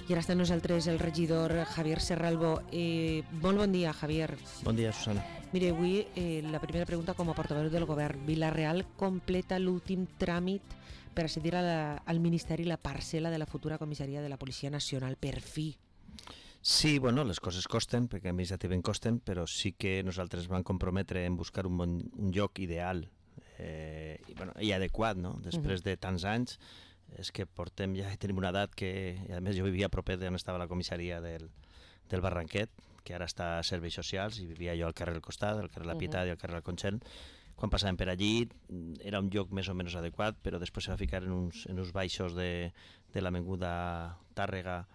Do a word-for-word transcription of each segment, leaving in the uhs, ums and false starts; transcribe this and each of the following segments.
I ara està amb nosaltres el regidor Javier Serralbo. Eh, molt bon dia, Javier. Bon dia, Susana. Mire, avui eh, la primera pregunta com a portaveu del govern. Vila-real completa l'últim tràmit per accedir a la, al Ministeri la parcel·la de la futura comissaria de la Policia Nacional, per fi. Sí, bueno, les coses costen, perquè administrativament costen, però sí que nosaltres vam comprometre en buscar un, bon, un lloc ideal eh, i, bueno, i adequat, no? Després de tants anys, és que portem ja, tenim una edat que, i a més jo vivia a proper d'on estava la comissaria del, del Barranquet, que ara està a Serveis Socials, i vivia jo al carrer del costat, al carrer La Pietat uh -huh. i al carrer La Conxent. Quan passàvem per allí era un lloc més o menys adequat, però després se va ficar en uns, en uns baixos de, de l'avinguda Tàrrega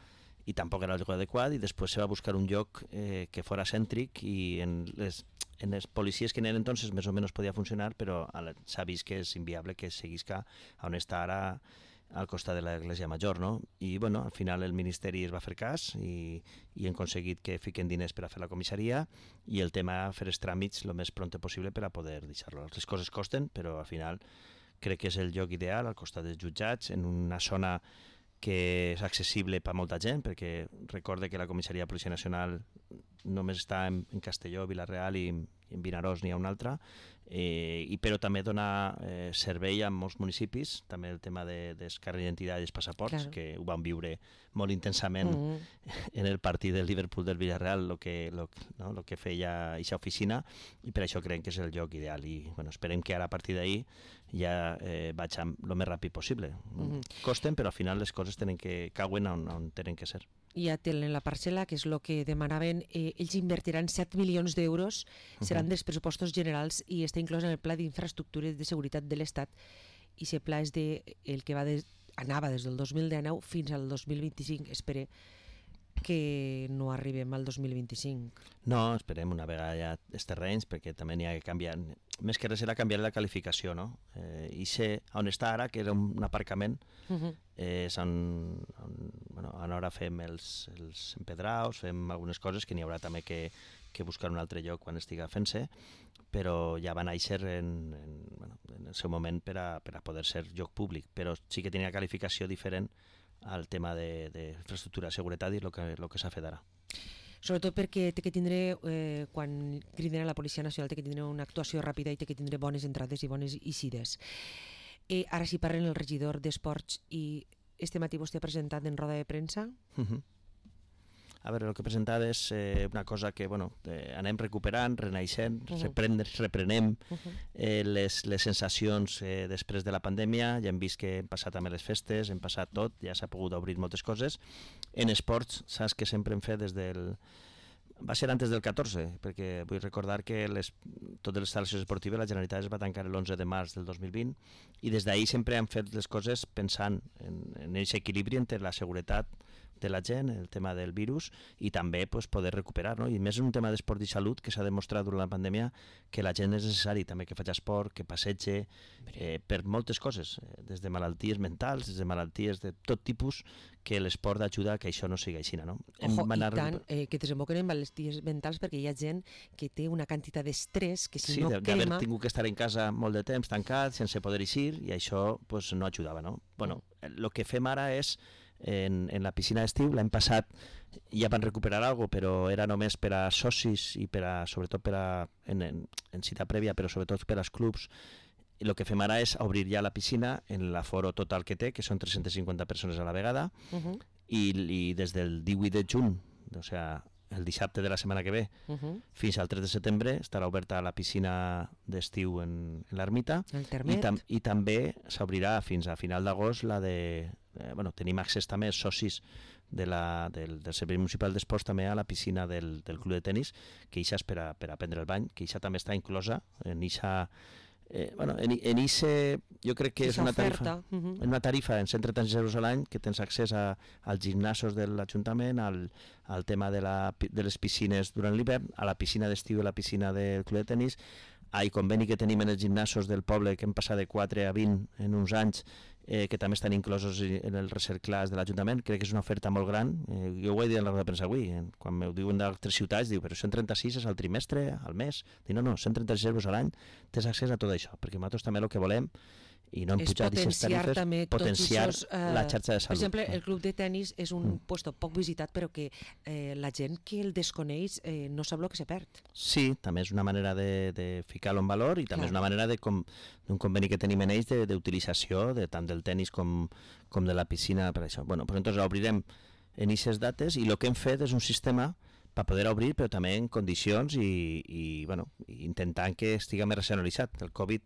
i tampoc era el lloc adequat, i després se va buscar un lloc eh, que fora cèntric, i en les en les policies que en entonces més o menys podia funcionar, però s'ha vist que és inviable que seguisca on està ara al costat de l'Església Major, no? I, bueno, al final el Ministeri es va fer cas i, i hem aconseguit que fiquen diners per a fer la comissaria, i el tema fer els tràmits el més pront possible per a poder deixar-lo. Les coses costen, però al final crec que és el lloc ideal, al costat dels jutjats, en una zona que és accessible per a molta gent, perquè recorde que la comissaria de Policia Nacional només està en, en Castelló, Vila-real i en Vinaròs n'hi ha un altre, eh, i però també dona eh, servei a molts municipis, també el tema de descàrrega d'identitat i dels passaports, claro, que ho van viure molt intensament mm. en el partit del Liverpool del Villarreal, lo que, lo, no, lo que feia aquesta oficina, i per això creiem que és el lloc ideal, i bueno, esperem que ara a partir d'ahir ja eh, vaig el més ràpid possible. Mm. Costen, però al final les coses tenen que cauen on, on tenen que ser. Ja tenen la parcel·la, que és el que demanaven. Eh, ells invertiran set milions d'euros, seran uh -huh. dels pressupostos generals i està inclòs en el Pla d'Infraestructures de Seguretat de l'Estat, i aquest pla és de, el que va de, anava des del dos mil dinou fins al dos mil vint-i-cinc. Espere que no arribem al dos mil vint-i-cinc. No, esperem una vegada ja els terrenys, perquè també n'hi ha que canviar, més que res era canviar la qualificació, no? Eh, I sé on està ara, que era un aparcament, uh-huh. eh, és on, on, bueno, on ara fem els, els empedraus, fem algunes coses que n'hi haurà també que, que buscar un altre lloc quan estiga fent-se, però ja va néixer en, en, bueno, en el seu moment per a, per a poder ser lloc públic, però sí que tenia qualificació diferent al tema d'infraestructura de, de seguretat i el que, lo que s'ha fet ara. Sobretot perquè té que tindre, eh, quan criden a la Policia Nacional, té que tindre una actuació ràpida i té que tindre bones entrades i bones eixides. Eh, ara sí parlen el regidor d'Esports, i este matí vostè ha presentat en roda de premsa. Uh-huh. A veure, el que he presentat és eh, una cosa que bueno, eh, anem recuperant, renaixent, uh-huh. reprenem, reprenem uh-huh. eh, les, les sensacions eh, després de la pandèmia. Ja hem vist que hem passat també les festes, hem passat tot, ja s'ha pogut obrir moltes coses. En esports, saps que sempre hem fet des del... Va ser antes del catorze, perquè vull recordar que les, totes les instal·lacions esportives la Generalitat es va tancar l'onze de març del dos mil vint, i des d'ahir sempre hem fet les coses pensant en, en aquest equilibri entre la seguretat de la gent, el tema del virus, i també pues, poder recuperar, no? I més en un tema d'esport i salut que s'ha demostrat durant la pandèmia que la gent és necessari també que faci esport, que passege, eh, per moltes coses, eh, des de malalties mentals, des de malalties de tot tipus, que l'esport ajuda a que això no sigui així, no? Ojo, i tant, eh, que desemboquen en malalties mentals, perquè hi ha gent que té una quantitat d'estrès que si sí, no de, quema... d'haver tingut que estar en casa molt de temps tancat, sense poder eixir, i això pues, no ajudava, no? Bueno, el mm. que fem ara és En, en la piscina d'estiu, l'any passat ja van recuperar alguna cosa, però era només per a socis i per a, sobretot per a, en, en, en cita prèvia, però sobretot per als clubs. I el que fem ara és obrir ja la piscina en l'aforo total que té, que són tres-centes cinquanta persones a la vegada, uh-huh. i, i des del divuit de juny, o sigui, el dissabte de la setmana que ve, uh-huh. fins al tres de setembre estarà oberta la piscina d'estiu en, en l'ermita, i, tam, i també s'obrirà fins a final d'agost la de... Eh, bueno, tenim accés també als socis de la, del, del Servei Municipal d'Esports també a la piscina del, del club de tenis, que això és per a, per a prendre el bany, que això també està inclosa en això. Eh, bueno, en, en ICE jo crec que és una tarifa, uh-huh. una tarifa en cent trenta-sis euros a l'any, que tens accés a, als gimnasos de l'Ajuntament, al, al tema de, la, de les piscines durant l'hivern, a la piscina d'estiu i la piscina del club de tenis, al conveni que tenim en els gimnasos del poble, que hem passat de quatre a vint en uns anys, eh, que també estan inclosos en els recerclars de l'Ajuntament. Crec que és una oferta molt gran. Eh, jo ho he dit en la roda de premsa avui, eh, quan m'ho diuen d'altres ciutats, diu, però cent trenta-sis és al trimestre, al mes? Dic, no, no, cent trenta-sis euros a l'any, tens accés a tot això, perquè nosaltres també el que volem i no hem és pujat aquestes tarifes, també potenciar tots esos, uh, la xarxa de salut. Per exemple, el club de tennis és un Mm. puesto poc visitat, però que eh, la gent que el desconeix eh, no sap el que se perd. Sí, també és una manera de, de ficar-lo en valor i també Clar. és una manera de com, d'un conveni que tenim en ells de- d'utilització de, tant del tennis com, com de la piscina per això. Bueno, pues entonces obrirem en aquestes dates i el que hem fet és un sistema per poder obrir, però també en condicions i, i bueno, intentant que estigui més racionalitzat. El Covid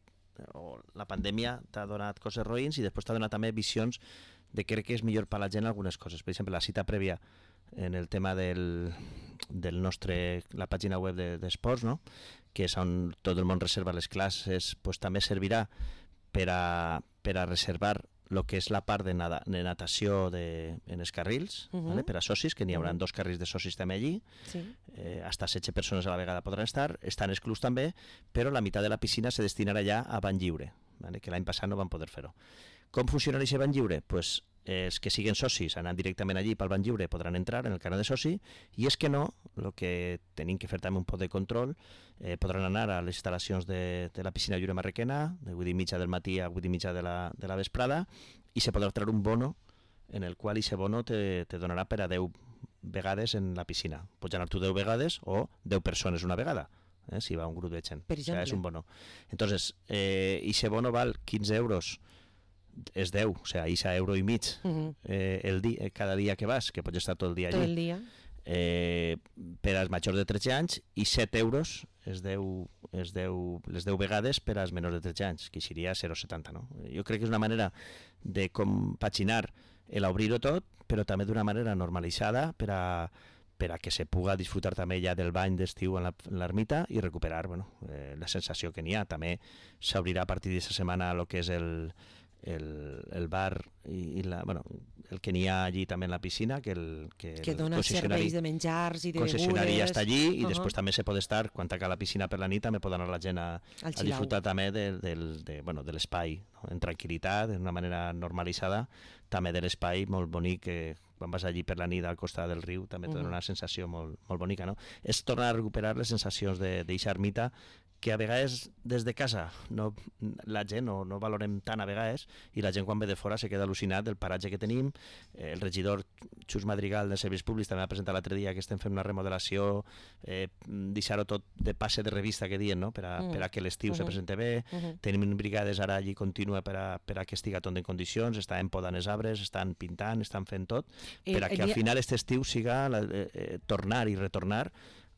o la pandèmia t'ha donat coses roïns i després t'ha donat també visions de crec que és millor per a la gent algunes coses. Per exemple, la cita prèvia en el tema del, del nostre, la pàgina web d'esports, de, no? Que és on tot el món reserva les classes, pues, també servirà per a, per a reservar el que és la part de, nada, de natació de, en els carrils, uh -huh. ¿vale? Per a socis, que n'hi haurà uh -huh. dos carrils de socis també allí, sí. eh, hasta setze persones a la vegada podran estar, estan els clubs també, però la meitat de la piscina se destinarà ja a bany lliure, ¿vale? Que l'any passat no van poder fer-ho. Com funciona aquest bany lliure? Pues, eh, els que siguen socis anant directament allí pel bany lliure podran entrar en el canal de soci, i és que no, el que tenim que fer també un poc de control, eh, podran anar a les instal·lacions de, de la piscina lliure marroquena, de vuit i mitja del matí a vuit i mitja de la, de la vesprada, i se podrà treure un bono en el qual aquest bono te, te donarà per a deu vegades en la piscina. Pots anar tu deu vegades o deu persones una vegada, eh, si va un grup de gent. Per exemple. O sea, és un bono. Entonces, eh, aquest bono val quinze euros, és deu, o sea, és a euro i mig uh -huh. eh, el dia, cada dia que vas, que pots estar tot el dia allí. Tot el dia. Eh, per als majors de tretze anys, i set euros és deu, és deu, les deu vegades per als menors de tretze anys, que seria zero coma setanta. No? Jo crec que és una manera de compaginar l'obrir-ho tot, però també d'una manera normalitzada per a, per a que se puga disfrutar també ja del bany d'estiu en l'ermita i recuperar bueno, eh, la sensació que n'hi ha. També s'obrirà a partir d'aquesta setmana el que és el, el, el bar i, i la, bueno, el que n'hi ha allí també en la piscina, que, el, que, que dona serveis de menjars i de begudes. El concessionari ja està allí i uh -huh. després també se pot estar, quan tanca la piscina per la nit, també pot anar la gent a, a disfrutar també de, de, de, bueno, de l'espai, no? En tranquil·litat, d'una manera normalitzada, també de l'espai molt bonic que quan vas allí per la nit al costat del riu també te dona una sensació molt, molt bonica, no? És tornar a recuperar les sensacions d'eixa ermita que a vegades des de casa no, la gent no, no valorem tant a vegades, i la gent quan ve de fora se queda al·lucinat del paratge que tenim. Eh, el regidor Xus Madrigal dels Serveis Públics també va presentar l'altre dia que estem fent una remodelació, eh, deixar-ho tot de passe de revista que diuen, no? per, a, mm. per a que l'estiu uh -huh. se presente bé. Uh -huh. Tenim brigades ara allí contínua per a, per a que estiga tot en condicions, estan podant els arbres, estan pintant, estan fent tot, per a que al final aquest estiu siga la, eh, eh, tornar i retornar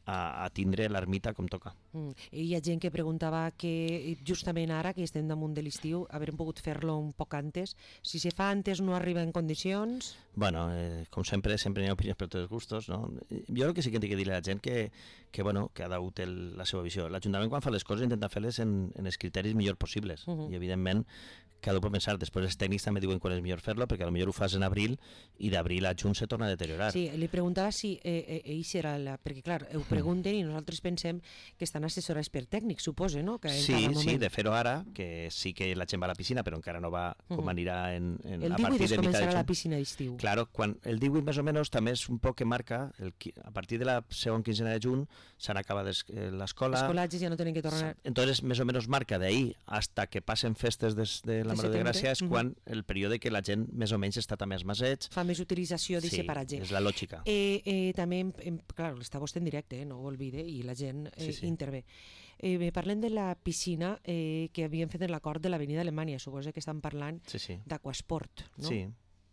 a, a tindre l'ermita com toca. Mm. Hi ha gent que preguntava que justament ara, que estem damunt de l'estiu, haurem pogut fer-lo un poc antes. Si se fa antes no arriba en condicions... Bueno, eh, com sempre, sempre hi ha opinions per tots els gustos, no? Jo el que sí que tinc que dir a la gent que, que, bueno, que ha d'hagut la seva visió. L'Ajuntament quan fa les coses intenta fer-les en, en els criteris millors possibles, uh -huh. i evidentment cada un pot pensar, després els tècnics també diuen quan és millor fer-lo, perquè potser ho fas en abril i d'abril a juny se torna a deteriorar. Sí, li preguntava si eh, eh, era la... perquè clar, ho pregunten i nosaltres pensem que estan assessorats per tècnics, suposo, no? Que sí, sí, de fer-ho ara, que sí que la gent va a la piscina, però encara no va com uh -huh. anirà en, en, el a partir de mitjà de juny. El divuit es començarà la piscina d'estiu. Claro, quan el divuit més o menys també és un poc que marca, el, a partir de la segona quinzena de juny s'han acabat l'escola. Els col·legis ja no tenen que tornar. Entonces, més o menys marca d'ahir hasta que passen festes de, de la Mare de Gràcia és uh -huh. quan el període que la gent més o menys està també als masets. Fa més utilització d'aquest sí, paratge. És la lògica. Eh, eh, també, em, clar, està vostè en directe, eh, no ho oblide, i la gent eh, sí, sí. intervé. Eh, parlem de la piscina eh, que havien fet en l'acord de l'Avenida Alemanya. Suposo que estan parlant sí, sí. d'Aquasport, no? Sí.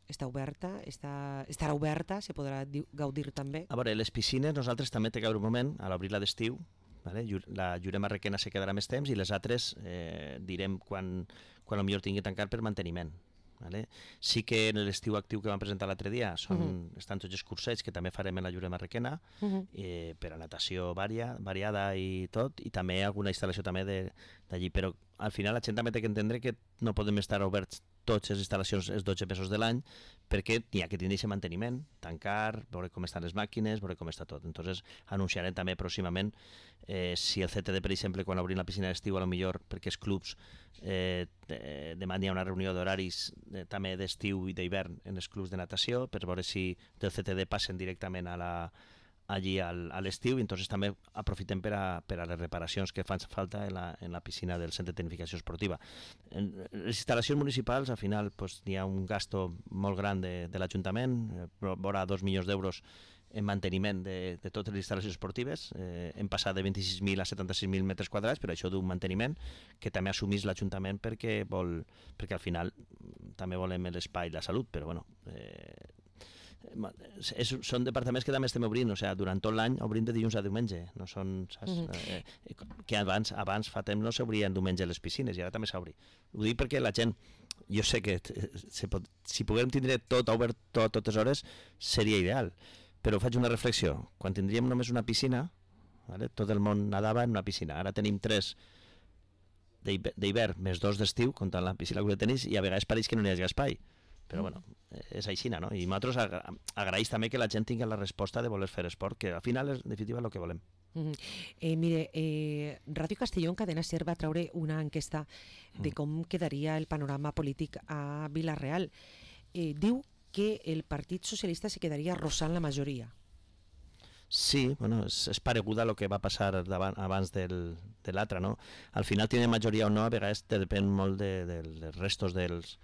Està oberta, està, estarà oberta, se podrà gaudir també. A veure, les piscines nosaltres també té que haver un moment, a l'obrir-la d'estiu, vale? La Lliure Marroquena se quedarà més temps i les altres eh, direm quan, quan potser tingui que tancar per manteniment. Vale? Sí que en l'estiu actiu que vam presentar l'altre dia són, uh -huh. estan tots els cursets que també farem en la Lliure Marroquena, uh -huh. eh, per a natació varia, variada i tot, i també alguna instal·lació també d'allí, però al final la gent també té que entendre que no podem estar oberts totes les instal·lacions els dotze mesos de l'any, perquè n'hi ha que tindre aquest manteniment, tancar, veure com estan les màquines, veure com està tot. Entonces anunciarem també pròximament eh, si el C T D, per exemple, quan obrim la piscina d'estiu, a lo millor perquè els clubs eh, demà hi ha una reunió d'horaris eh, també d'estiu i d'hivern en els clubs de natació, per veure si del C T D passen directament a la allí al, a l'estiu, i entonces també aprofitem per a, per a les reparacions que fan falta en la, en la piscina del centre de tecnificació esportiva. En les instal·lacions municipals, al final, pues, hi ha un gasto molt gran de, de l'Ajuntament, eh, vora dos milions d'euros en manteniment de, de totes les instal·lacions esportives. Eh, hem passat de vint-i-sis mil a setanta-sis mil metres quadrats, però això d'un manteniment que també assumís l'Ajuntament perquè, vol, perquè al final també volem l'espai i la salut, però bueno, eh, és, són departaments que també estem obrint, o sigui, durant tot l'any obrim de dilluns a diumenge, no són, saps? Mm -hmm. eh, que abans, abans fa temps no s'obrien diumenge les piscines i ara també s'obri. Ho dic perquè la gent, jo sé que se pot, si puguem tindre tot obert tot, totes hores seria ideal, però faig una reflexió. Quan tindríem només una piscina, vale? Tot el món nadava en una piscina, ara tenim tres d'hivern més dos d'estiu, comptant la piscina que tenis, i a vegades pareix que no hi hagi espai. Però bueno, és així, no? I nosaltres agra agraïs també que la gent tingui la resposta de voler fer esport, que al final és, en definitiva, és el que volem. Mm -hmm. eh, mire, eh, Ràdio Castelló en Cadena Ser va treure una enquesta de com quedaria el panorama polític a Vila-real. Eh, diu que el Partit Socialista se quedaria arrossant la majoria. Sí, bueno, és, és pareguda a lo que va passar davant, abans del, de l'altre, no? Al final, tenir majoria o no, a vegades depèn molt de, de, dels restos dels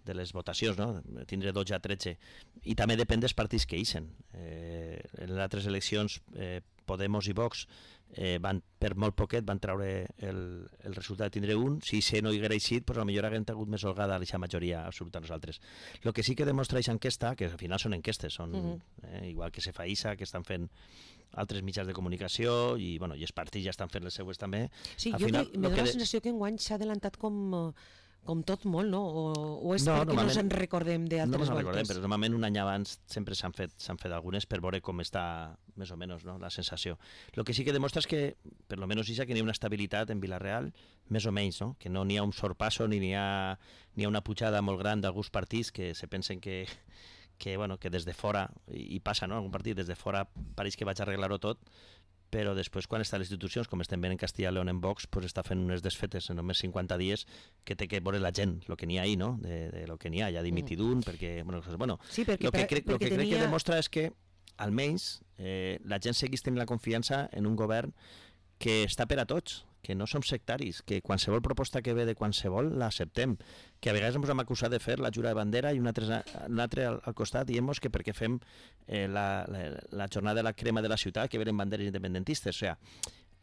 de les votacions, no? Tindre dotze a tretze, i també depèn dels partits que ixen. Eh, en les altres eleccions, eh, Podemos i Vox eh, van, per molt poquet van treure el, el resultat de tindre un. Si se no hi haguera eixit, pues, potser haguem tingut més holgada aquesta majoria absoluta nosaltres. El que sí que demostra aquesta enquesta, que al final són enquestes, són, uh -huh. eh, igual que se fa I S A, que estan fent altres mitjans de comunicació, i, bueno, i els partits ja estan fent les seues també. Sí, al jo final, me de... dóna la sensació que enguany s'ha adelantat com... com tot molt, no? O, o és no, perquè no ens en recordem d'altres voltes? No ens recordem, però normalment un any abans sempre s'han fet, s'han fet algunes per veure com està més o menys, no? La sensació. El que sí que demostra és que, per almenys, que hi ha una estabilitat en Vila-real, més o menys, no? Que no n'hi ha un sorpasso ni n'hi ha, ni ha una pujada molt gran d'alguns partits que se pensen que, que, bueno, que des de fora, i, i passa, no? Algun partit des de fora pareix que vaig arreglar-ho tot, però després quan està a les institucions, com estem veient en Castilla y León en Vox, pues està fent unes desfetes en només cinquanta dies que té que veure la gent, el que n'hi ha ahí, no? De, de lo que n'hi ha, ja dimitit un, perquè, bueno, bueno sí, perquè, lo que, crec, perquè lo que tenia... crec que demostra és que, almenys, eh, la gent segueix tenint la confiança en un govern que està per a tots, que no som sectaris, que qualsevol proposta que ve de qualsevol l'acceptem, que a vegades ens hem acusat de fer la jura de bandera i un altre, un altre al, al costat diem-nos que perquè fem eh, la, la, la jornada de la crema de la ciutat que venen banderes independentistes. O sea,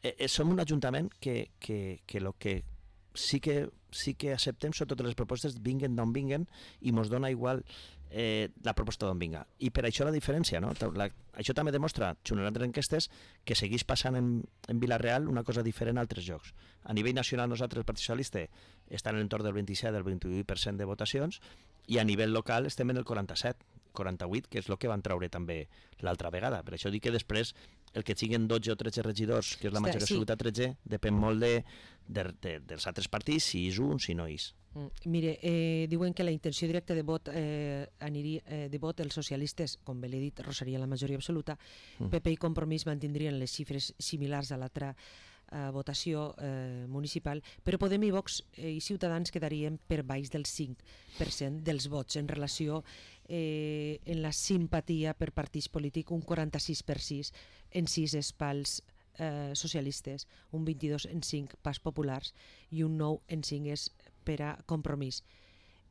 eh, eh, som un ajuntament que, que, que lo que sí que sí que acceptem són totes les propostes, vinguen d'on vinguen, i mos dona igual eh, la proposta d'on vinga. I per això la diferència, no? La, això també demostra, junt amb altres enquestes, que segueix passant en, en Vila-real una cosa diferent a altres llocs. A nivell nacional, nosaltres, el Partit Socialista, està en l'entorn del vint-i-set, del vint-i-vuit per cent de votacions, i a nivell local estem en el quaranta-set, quaranta-vuit, que és el que van treure també l'altra vegada. Per això dic que després el que siguin dotze o tretze regidors, que és la majoria absoluta, tretze, depèn molt de, de, de, dels altres partits, si és un, si no és. Mm. Mire, eh, diuen que la intenció directa de vot eh, aniria, eh, de vot els socialistes, com bé l'he dit, rosaria la majoria absoluta, mm. P P i Compromís mantindrien les xifres similars a l'altra eh, votació eh, municipal, però Podem i Vox eh, i Ciutadans quedarien per baix del cinc per cent dels vots en relació eh, en la simpatia per partits polítics, un quaranta-sis per sis en sis espals eh, socialistes, un vint-i-dos en cinc pas populars i un nou en cinc és per a Compromís.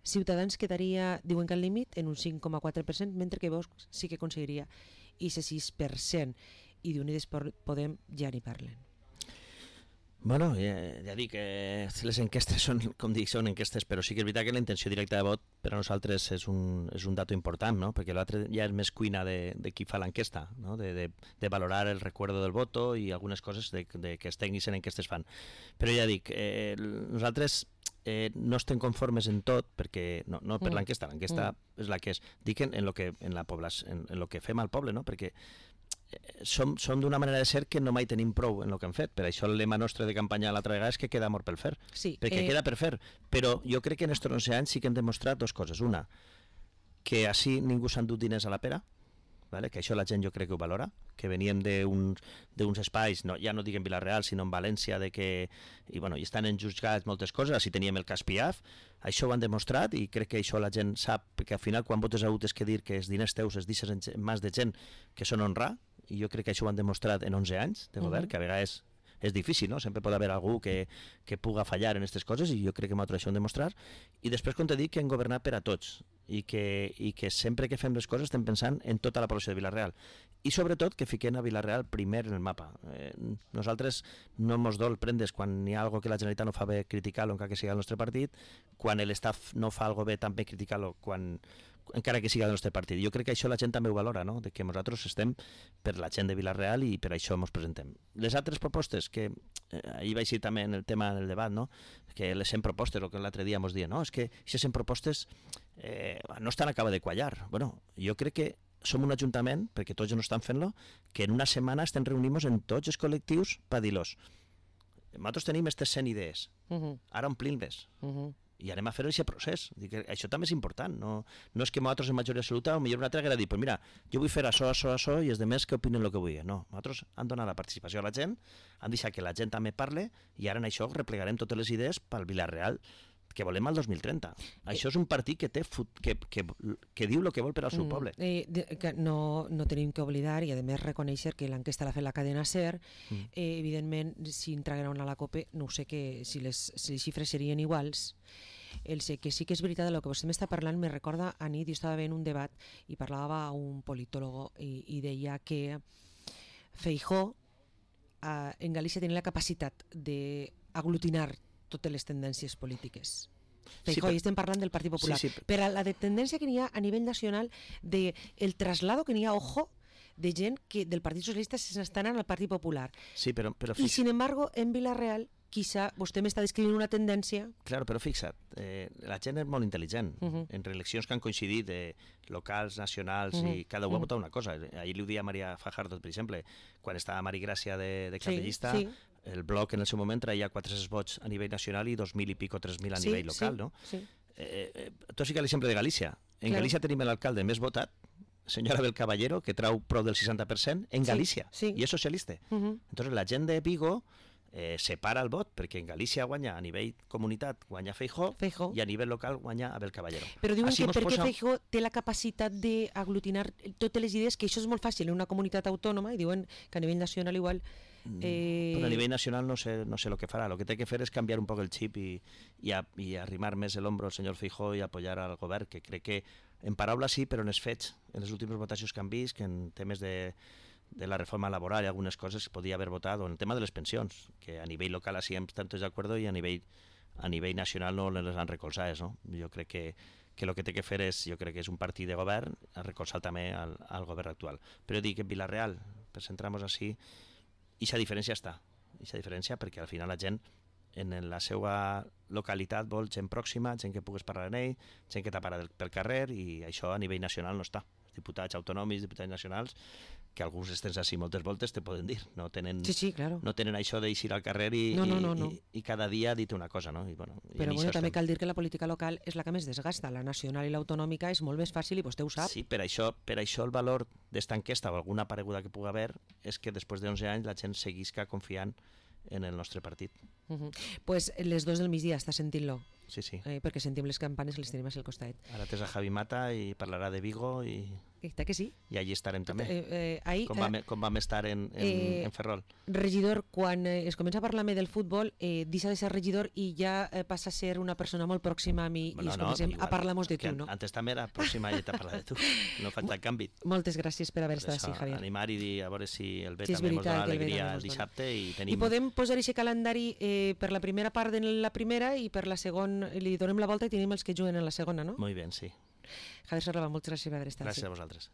Ciutadans quedaria, diuen que al límit, en un cinc coma quatre per cent, mentre que Vox sí que aconseguiria aquest sis per cent, i d'Unides Podem ja n'hi parlen. Bueno, ja, ja dic, eh, les enquestes són, com dic, són enquestes, però sí que és veritat que la intenció directa de vot per a nosaltres és un, és un dato important, no? Perquè l'altre ja és més cuina de, de qui fa l'enquesta, no? de, de, de valorar el recuerdo del voto i algunes coses de, de que els tècnics en enquestes fan. Però ja dic, eh, nosaltres eh, no estem conformes en tot, perquè no, no per mm. l'enquesta, l'enquesta mm. és la que és. Dic en, en, lo que, en, la població, en, en lo que fem al poble, no? Perquè som, som d'una manera de ser que no mai tenim prou en el que hem fet. Per això el lema nostre de campanya l'altra vegada és que queda amor pel fer. Sí, perquè eh... queda per fer. Però jo crec que en estos onze anys sí que hem demostrat dues coses. Una, que així ningú s'ha endut diners a la pera, vale? Que això la gent jo crec que ho valora, que veníem d'uns espais, no, ja no dic en Vila-real, sinó en València, de que, i, bueno, i estan enjutjats moltes coses, així teníem el cas Piaf, això ho han demostrat i crec que això la gent sap, perquè al final quan votes a U T és que dir que els diners teus es deixes en mans de gent que són honrar, i jo crec que això ho han demostrat en onze anys de govern, uh -huh. que a vegades és difícil, no? Sempre pot haver algú que, que puga fallar en aquestes coses i jo crec que nosaltres això ho hem demostrat. I després, com t'he dit, que hem governat per a tots i que, i que sempre que fem les coses estem pensant en tota la població de Vila-real i sobretot que fiquem a Vila-real primer en el mapa. Eh, nosaltres no mos dol prendre's quan hi ha alguna que la Generalitat no fa bé criticar-lo encara que sigui el nostre partit, quan l'estaf no fa alguna bé també criticar-lo quan encara que sigui del nostre partit. Jo crec que això la gent també ho valora, no? De que nosaltres estem per la gent de Vila-real i per això ens presentem. Les altres propostes, que eh, ahir vaig dir també en el tema del debat, no? Que les cent propostes, el que l'altre dia ens deien, no, és que aquestes cent propostes eh, no estan acaba de quallar. Bueno, jo crec que som un ajuntament, perquè tots no estan fent-lo, que en una setmana estem reunint-nos en tots els col·lectius per dir-los. Nosaltres tenim aquestes cent idees, uh -huh. ara omplim-les. Uh -huh. I anem a fer aquest procés. Dic que això també és important. No, no és que nosaltres en majoria absoluta o millor una altra haguera dit, pues mira, jo vull fer això, això, això i els demés que opinen el que vull. No, nosaltres han donat la participació a la gent, han deixat que la gent també parle i ara en això replegarem totes les idees pel Vila-real que volem al dos mil trenta. Eh, això és un partit que té fut, que, que, que diu el que vol per al seu mm, poble. Eh, de, que no, no tenim que oblidar i a més reconèixer que l'enquesta l'ha fet la cadena SER. Mm. Eh, evidentment, si entragueren a la COPE, no ho sé que, si, les, si les xifres serien iguals. El sé que sí que és veritat, el que vostè m'està parlant me recorda a nit, jo estava veient un debat i parlava un politòlogo i, i deia que Feijóo eh, en Galícia tenia la capacitat d'aglutinar totes les tendències polítiques. Feijóo, sí, i estem parlant del Partit Popular. Sí, sí. Però la de tendència que n'hi ha a nivell nacional, de el traslado que n'hi ha, ojo, de gent que del Partit Socialista s'estan al Partit Popular. Sí, però, però I, sin embargo, en Vila-real, quizá vostè m'està descrivint una tendència... Claro, però fixa't, eh, la gent és molt intel·ligent. Uh -huh. En eleccions que han coincidit de locals, nacionals, uh -huh. i cada un uh -huh. ha votat una cosa. Ahir li ho dia a Maria Fajardo, per exemple, quan estava Mari Gràcia de, de capellista, sí, sí. El bloc en el seu moment traia quatre-cents vots a nivell nacional i dos mil i pico, tres mil a sí, nivell local, sí, no? Sí. Eh, eh, tu sí que l'exemple de Galícia. En claro. Galícia tenim l'alcalde més votat, senyora Abel Caballero, que trau prou del seixanta per cent en Galícia, sí, sí. i és socialista. Uh -huh. Entonces la gent de Vigo eh, separa el vot, perquè en Galícia guanya a nivell comunitat, guanya Feijóo, Feijóo. i a nivell local guanya Abel Caballero. Però diuen Així que perquè posa... Feijóo té la capacitat d'aglutinar totes les idees, que això és molt fàcil en una comunitat autònoma, i diuen que a nivell nacional igual... Eh... Però a nivell nacional no sé, no sé el que farà. El que té que fer és canviar un poc el xip i, i, a, i arrimar més l'ombro al senyor Feijóo i apoyar al govern, que crec que en paraules sí, però en els fets, en les últimes votacions que han vist, que en temes de, de la reforma laboral i algunes coses podia haver votat, o en el tema de les pensions, que a nivell local així estem tots d'acord i a nivell, a nivell nacional no les han recolzades, no? Jo crec que que el que té que fer és, jo crec que és un partit de govern, a recolzar també al, al govern actual. Però dic que en Vila-real, per centrar-nos així, i aquesta diferència està, i aquesta diferència perquè al final la gent en la seva localitat vol gent pròxima, gent que pugues parlar amb ell, gent que t'apara pel carrer, i això a nivell nacional no està. Els diputats autonòmics, diputats nacionals, que alguns estens així moltes voltes te poden dir, no tenen, sí, sí, claro. no tenen això d'eixir al carrer i, no, no, no, no. i, i cada dia dir una cosa, no? I, bueno, però i bueno, també cal dir que la política local és la que més desgasta, la nacional i l'autonòmica és molt més fàcil i vostè ho sap. Sí, per això, per això el valor d'esta enquesta o alguna pareguda que pugui haver és que després d'onze anys la gent seguisca confiant en el nostre partit. Uh -huh. Pues les dos del migdia està sentint-lo. Sí, sí. Eh, perquè sentim les campanes i les tenim al costat. Ara tens a Javi Mata i parlarà de Vigo i... Està que sí. I allí estarem també. Eh, eh, ahí, com, vam, com vam estar en, en, eh, en Ferrol. Regidor, quan eh, es comença a parlar-me del futbol, eh, deixa de ser regidor i ja eh, passa a ser una persona molt pròxima a mi bueno, i es comencem no, igual, a parlar-nos de tu, no? Antes també era pròxima i t'ha parlat de tu. No fa el canvi. Moltes gràcies per haver estat així, Javier. Animar i dir a veure si el bé sí, també ens dona alegria el el dissabte. I, tenim... I podem posar aquest calendari eh, per la primera part de la primera i per la segona, li donem la volta i tenim els que juguen en la segona, no? Molt bé, sí. Javier Serralba, moltes gràcies per haver estat gràcies així. a vosaltres.